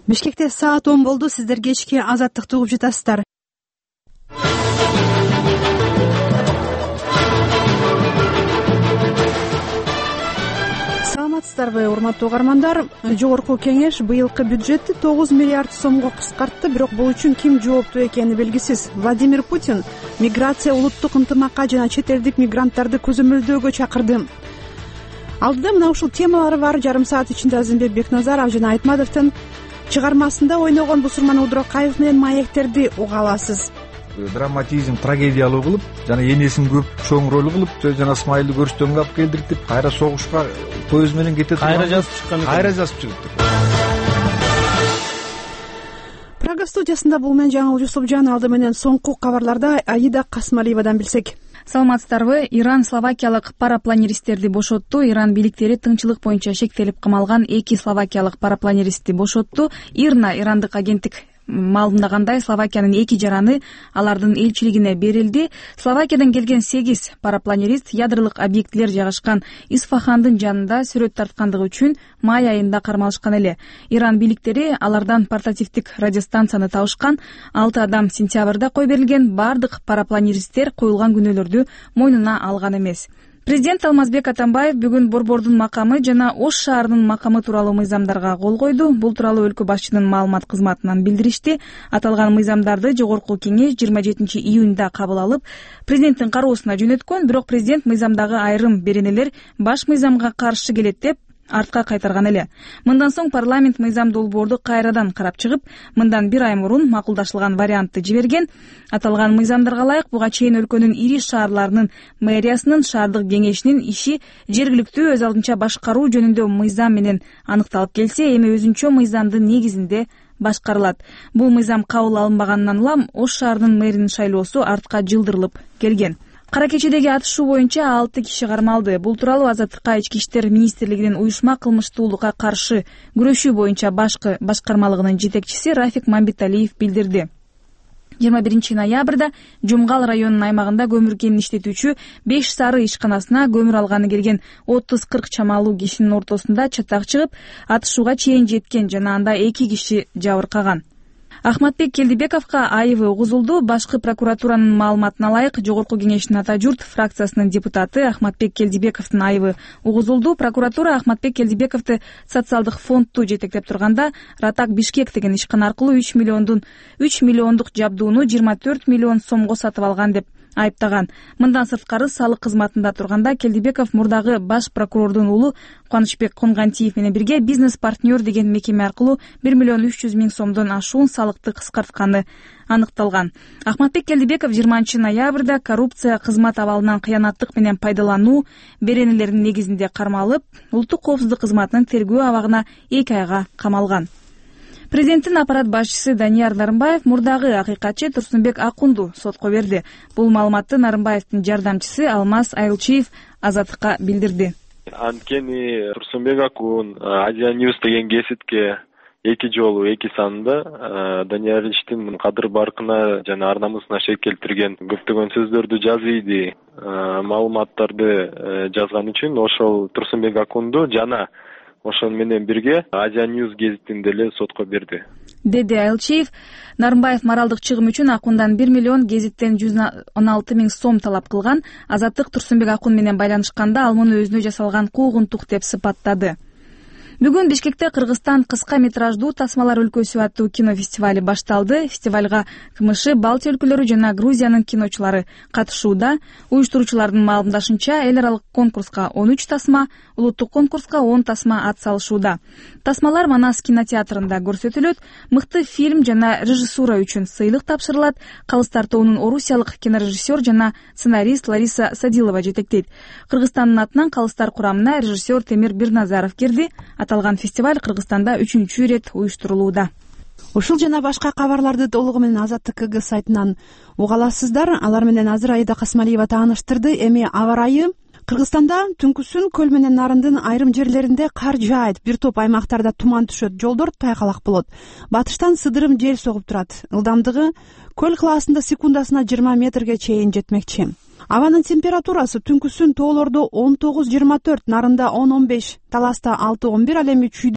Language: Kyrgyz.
Бишкекте саат 10 болду. Сиздер кечки Азаттыкты угуп жатасыздар. Саламатсыздарбы, урматтуу угармандар? Жогорку кеңеш быйылкы бюджетти 9 миллиард сомго кыскартты, бирок бул үчүн ким жооптуу экени белгисиз. Владимир Путин миграция, улуттук ынтымакка жана чет элдик мигранттарды көзөмөлдөөгө чакырды. Алдыда мына ушул темалар бар. Жарым саат ичинде Азимбек Бекназаров жана Айтматовдун чыгармасында ойногон Бусурман Удуракаев менен маектерди уга аласыз. Драматизм, трагедиялуу кылып, жана энесин көп чоң роль кылып, жана Исмаилди көрүштөнгө алып келдиртип, кайра согушка поезд менен кетет. Кайра жазып чыккан. Кайра жазып чыгыптыр. Прага студиясында бул менен Жаңыл Жусупжан. Алды менен соңку кабарларда Аида Касмалиевадан билсек. Саламатсыздарбы? Иран словакиялык парапланеристтерди бошотту. Иран бийликтери тыңчылык боюнча шектелип камалган 2 словакиялык парапланеристти бошотту. ИРНА, ирандык агенттик маалымдагандай, Словакиянын 2 жараны алардын элчилигине берилди. Словакиядан келген 8 парапланерист ядролук объектилер жайгашкан Исфахандын жанында сүрөт тарткандыгы үчүн май айында кармалышкан эле. Иран бийликтери алардан портативдик радиостанцияны табышкан. 6 адам сентябрда кой берилген. Бардык парапланеристтер коюлган күнөөлөрдү мойнуна алган эмес. Президент Алмазбек Атамбаев бүгүн Борбордун макамы жана Ош шаарынын макамы тууралуу мыйзамдарга кол койду. Бул тууралуу өлкө башчынын маалымат кызматынан билдиришти. Аталган мыйзамдарды жогорку кеңеш 27 июнда кабыл алып, президенттин кароосуна жөнөткөн. Бирок президент мыйзамдагы айрым беренелер баш мыйзамга каршы келет деп артка кайтарган эле. Мындан соң парламент мыйзам долбоорду кайрадан карап чыгып, мындан 1 ай мурун макулдашылган вариантты жиберген. Аталган мыйзамдарга ылайык буга чейин өлкөнүн ири шаарларынын мэриясынын шаардык кеңешинин иши жергиликтүү өз алдынча башкаруу жөнүндө мыйзам менен аныкталып келсе, эми өзүнчө мыйзамдын негизинде башкарылат. Бул мыйзам кабыл алынбагандан улам Ош шаарынын мэринин шайлоосу артка жылдырылып келген. Кара кечедеги атышуу боюнча 6 киши кармалды. Бул тууралуу Азаттыкка Ички иштер министрлигинин уюшма кылмыштуулукка каршы күрөшүү боюнча башкармалыгынын жетекчиси Рафик Мамбеталиев билдирди. 21 ноябрда Жумгал районунун аймагында көмүр кенин иштетүүчү 5 сары ишканасына көмүр алганы келген 30-40 чамалуу кишинин ортосунда чатак чыгып, атышууга чейин жеткен жана анда 2 киши жабыркаган. Ахматбек Келдибековго айыбы угузулду. Башкы прокуратуранын маалыматына ылайык, жогорку кеңештин Ата журт фракциясынын депутаты Ахматбек Келдибековдун айыбы угузулду. Прокуратура Ахматбек Келдибековду социалдык фондду жетектеп турганда Ратак Бишкек деген ишкана аркылуу 3 миллиондук жабдууну 24 миллион сомго сатып алган деп айыптаган. Мындан сырткары салык кызматында турганда Келдибеков мурдагы баш прокурордун уулу Кубанычбек Конгантиев менен бирге бизнес-партнер деген мекеме аркылуу 1 миллион 300 миң сомдон ашуун салыкты кыскартканы аныкталган. Ахматбек Келдибеков 20 ноябрда коррупция, кызмат абалынан кыянаттык менен пайдалануу беренелеринин негизинде кармалып, улуттук коопсуздук кызматынын тергөө абагына 2 айга камалган. Президенттин аппарат башчысы Данияр Нарымбаев мурдагы акыйкатчы Турсунбек Акунду сотко берди. Бул маалыматты Нарымбаевдин жардамчысы Алмаз Айылчиев Азаттыкка билдирди. Анткени Турсунбек Акун Азия News деген гезитке 2 жолу 2 санында Данияр Ильичтин кадыр баркына жана ар намысына шек келтирген көптөгөн сөздөрдү жазыйды, маалыматтарды жазган үчүн ошол Турсунбек Акунду жана ошон менен бирге Азия News гезитин деле сотко берди, деди Айылчиев. Нарымбаев моралдык чыгым үчүн Акундан 1 миллион, гезиттен 116 миң сом талап кылган. Азаттык Турсунбек Акун менен байланышканда ал муну өзүнө жасалган куугунтук деп сыпаттады. Бүгүн Бишкекте Кыргызстан кыска метраждуу тасмалар өлкөсү аттуу кинофестивали башталды. Фестивалга КМШ, Балтия өлкөлөрү жана Грузиянын киночулары катышууда. Уюштуруучулардын маалымдашынча, эл аралык конкурска 13 тасма, улуттук конкурска 10 тасма ат салышууда. Тасмалар Манас кинотеатрында көрсөтүлөт. Мыкты фильм жана режиссура үчүн сыйлык тапшырылат. Калыстар тобунун орусиялык кинорежиссер жана сценарист Лариса Садилова жетектейт. Кыргызстандын атынан Калыстар курамына режиссер Темир Бирназаров кирди. Аталган фестиваль Кыргызстанда 3-чү ирет уюштурулууда. Ушул жана башка кабарларды толугу менен Азаттык КГ сайтынан уга аласыздар. Алар менен азыр Аида Касмалиева тааныштырды. Эми аба ырайы Кыргызстанда түнкүсүн көл менен нарындын айрым жерлеринде кар жаайт, бир топ аймактарда туман түшөт, жолдор тайгалак болот. Батыштан сыдырым жел согуп турат. Ылдамдыгы көл кылаасында секундасына 20 метрге чейин жетмекчи. Абанын температурасы түнкүсүн тоолордо 19-24, нарында 10-15, таласта 6-11, ал эми